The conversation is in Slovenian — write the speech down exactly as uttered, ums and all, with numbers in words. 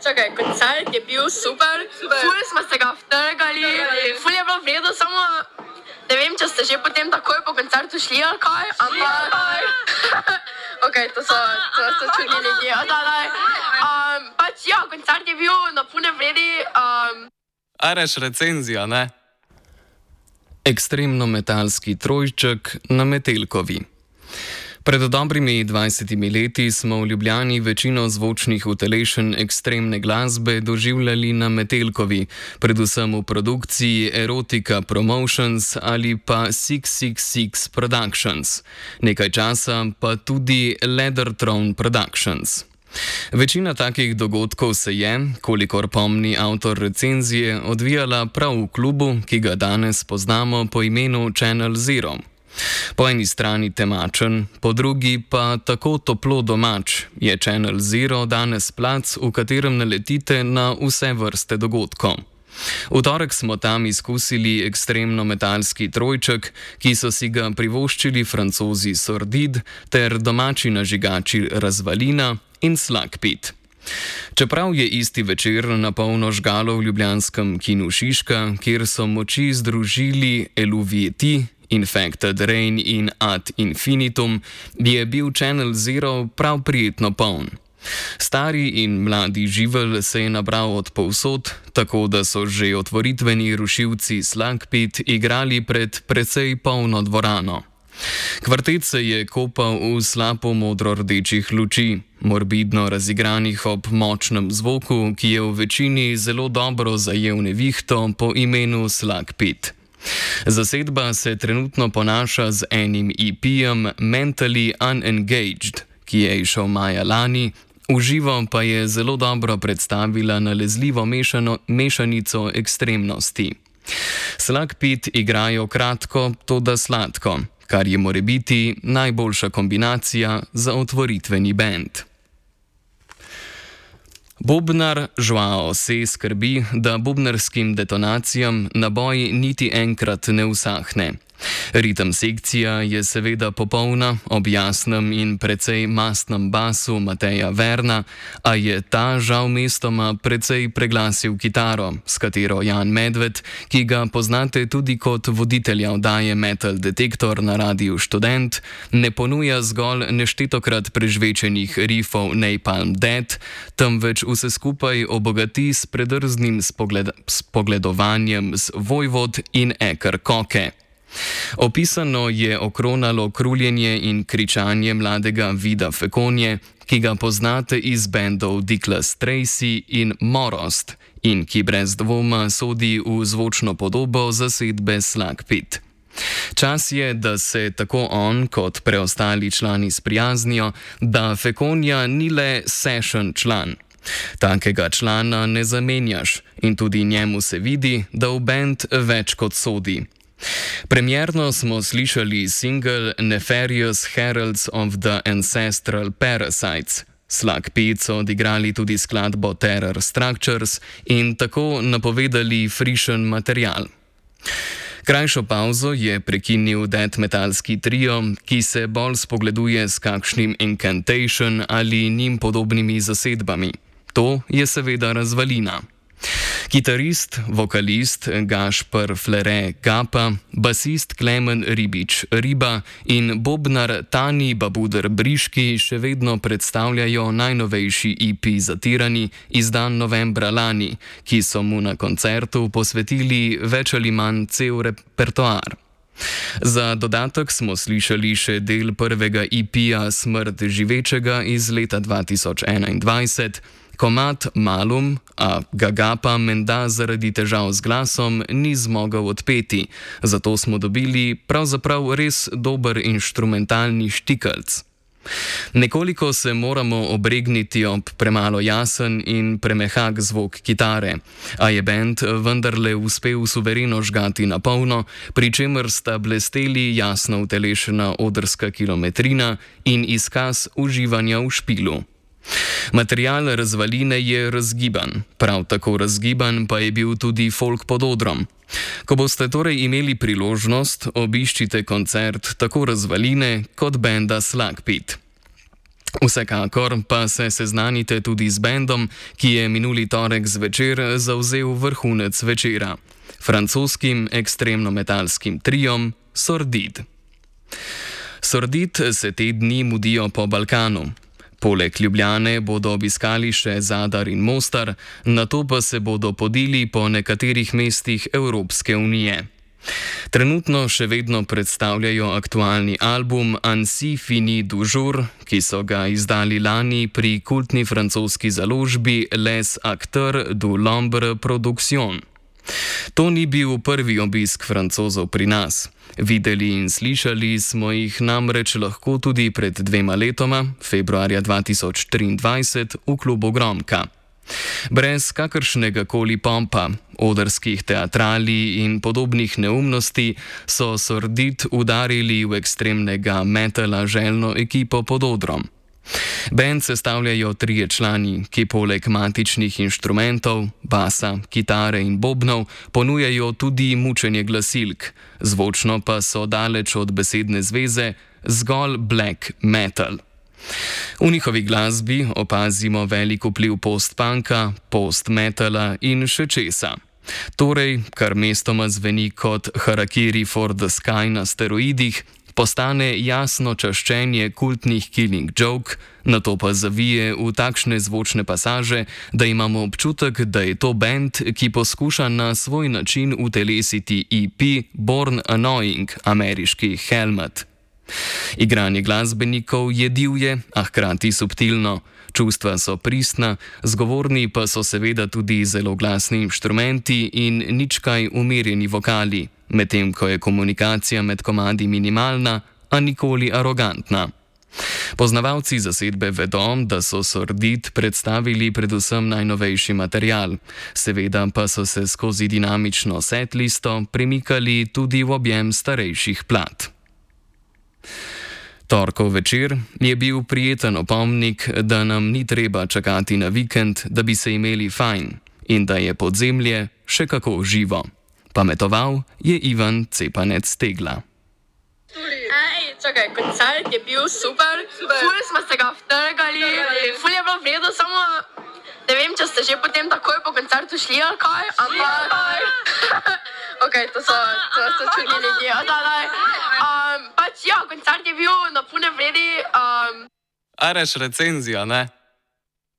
čakaj, koncert je bil super, super. Ful smo se ga vtrgali, ful je bilo vredo, samo ne vem, če ste že potem takoj po koncertu šli ali kaj, ampak... ok, to so, to so čudni ljudje, da, da. Um, pač ja, koncert je bil na pune vredi. Um... Areš recenzija, ne? Ekstremno metalski trojček na Metelkovi. Pred dobrimi dvajsetimi leti smo v Ljubljani večino zvočnih utelešenj ekstremne glasbe doživljali na Metelkovi, predvsem v produkciji Erotica Promotions ali pa šest šest šest Productions, nekaj časa pa tudi Leather Throne Productions. Večina takih dogodkov se je, kolikor pomni avtor recenzije, odvijala prav v klubu, ki ga danes poznamo po imenu Channel Zero. Po eni strani temačen, po drugi pa tako toplo domač je Channel Zero danes plac, v katerem naletite na vse vrste dogodkov. V torek smo tam izkusili ekstremno metalski trojček, ki so si ga privoščili Francozi Sordid ter domači nažigači Razvalina in Slagpit. Čeprav je isti večer na polno žgalo v ljubljanskem kinu Šiška, kjer so moči združili Eluvieti, Infected Rain in Ad Infinitum, je bil Channel Zero prav prijetno poln. Stari in mladi živelj se je nabral od povsod, tako da so že otvoritveni rušilci Slagpit igrali pred precej polno dvorano. Kvartet se je kopal v slabo modro-rdečih luči, morbidno razigranih ob močnem zvoku, ki je v večini zelo dobro zajel nevihto po imenu Slagpit. Zasedba se trenutno ponaša z enim E P-jem Mentally Unengaged, ki je izšel maja lani, v živo pa je zelo dobro predstavila nalezljivo mešano, mešanico ekstremnosti. Slagpit igrajo kratko, toda sladko, kar je morebiti najboljša kombinacija za otvoritveni bend. Bobnar Joao se skrbi, da bobnarskim detonacijam naboj niti enkrat ne usahne. Ritem sekcija je seveda popolna, ob jasnem in precej mastnem basu Mateja Verna, a je ta žal mestoma precej preglasil kitaro, s katero Jan Medved, ki ga poznate tudi kot voditelja oddaje Metal Detektor na Radiu Študent, ne ponuja zgolj neštetokrat prežvečenih riffov Napalm Death, temveč vse skupaj obogati s predrznim spogled spogledovanjem z Vojvod in Eker Koke. Opisano je okronalo kruljenje in kričanje mladega Vida Fekonje, ki ga poznate iz bendov Dickless Tracy in Morost in ki brez dvoma sodi v zvočno podobo zasedbe Slagpit. Čas je, da se tako on kot preostali člani sprijaznijo, da Fekonja ni le session član. Takega člana ne zamenjaš in tudi njemu se vidi, da v bend več kot sodi. Premierno smo slišali single Nefarious Heralds of the Ancestral Parasites. Slagpit so odigrali tudi skladbo Terror Structures in tako napovedali frišen material. Krajšo pauzo je prekinil death metalski trio, ki se bolj spogleduje s kakšnim Incantation ali njim podobnimi zasedbami. To je seveda Razvalina. Kitarist, vokalist Gašper Flere Gapa, basist Klemen Ribič Riba in bobnar Tani Babuder Briški še vedno predstavljajo najnovejši E P Zatirani, izdan novembra lani, ki so mu na koncertu posvetili več ali manj cel repertoar. Za dodatek smo slišali še del prvega E P-ja Smrt živečega iz leta dva tisoč enaindvajset, komad Malum, a ga Gapa menda zaradi težav z glasom ni zmogel odpeti, zato smo dobili pravzaprav res dober inštrumentalni štikelc. Nekoliko se moramo obregniti ob premalo jasen in premehak zvok kitare, a je bend vendarle uspel suvereno žgati na polno, pri čemer sta blesteli jasno utelešena odrska kilometrina in izkaz uživanja v špilu. Material Razvaline je razgiban, prav tako razgiban pa je bil tudi folk pod odrom. Ko boste torej imeli priložnost, obiščite koncert tako Razvaline kot benda Slagpit. Vsekakor pa se seznanite tudi z bendom, ki je minuli torek zvečer zavzel vrhunec večera, francoskim ekstremno-metalskim triom Sordid. Sordid se te dni mudijo po Balkanu. Poleg Ljubljane bodo obiskali še Zadar in Mostar, nato pa se bodo podili po nekaterih mestih Evropske unije. Trenutno še vedno predstavljajo aktualni album Ainsi finit du jour, ki so ga izdali lani pri kultni francoski založbi Les Acteurs du l'Ombre Production. To ni bil prvi obisk Francozov pri nas. Videli in slišali smo jih namreč lahko tudi pred dvema letoma, februarja dva tisoč triindvajset, v klubu Gromka. Brez kakršnega koli pompa, odrskih teatrali in podobnih neumnosti so Sordid udarili v ekstremnega metala željno ekipo pod odrom. Band sestavljajo trije člani, ki poleg matičnih inštrumentov, basa, kitare in bobnov ponujajo tudi mučenje glasilk, zvočno pa so daleč od besedne zveze zgolj black metal. V njihovi glasbi opazimo velik vpliv post-punka, post-metala in še česa. Torej, kar mestoma zveni kot Harakiri for the Sky na steroidih, postane jasno čaščenje kultnih Killing Joke, nato pa zavije v takšne zvočne pasaže, da imamo občutek, da je to band, ki poskuša na svoj način utelesiti E P Born Annoying, ameriški Helmet. Igranje glasbenikov je divje, a hkrati subtilno. Čustva so pristna, zgovorni pa so seveda tudi zelo glasni inštrumenti in nič kaj umirjeni vokali, medtem ko je komunikacija med komadi minimalna, a nikoli arogantna. Poznavalci zasedbe vedo, da so Sordid predstavili predvsem najnovejši material, seveda pa so se skozi dinamično setlisto premikali tudi v objem starejših plat. Torkov večer je bil prijeten opomnik, da nam ni treba čakati na vikend, da bi se imeli fajn in da je podzemlje še kako živo. Pametoval je Ivan Cepanec-Tegla. Ej, čakaj, koncert je bil super, super. Ful smo se ga vtrgali, ful je bilo vredo, samo ne vem, če ste že potem takoj po koncertu šli ali kaj, ampak... Ok, to so, to so čudni ljudje, odalaj. Um, pač ja, koncert je bil na pune vredi. Um... A reš recenzijo, ne?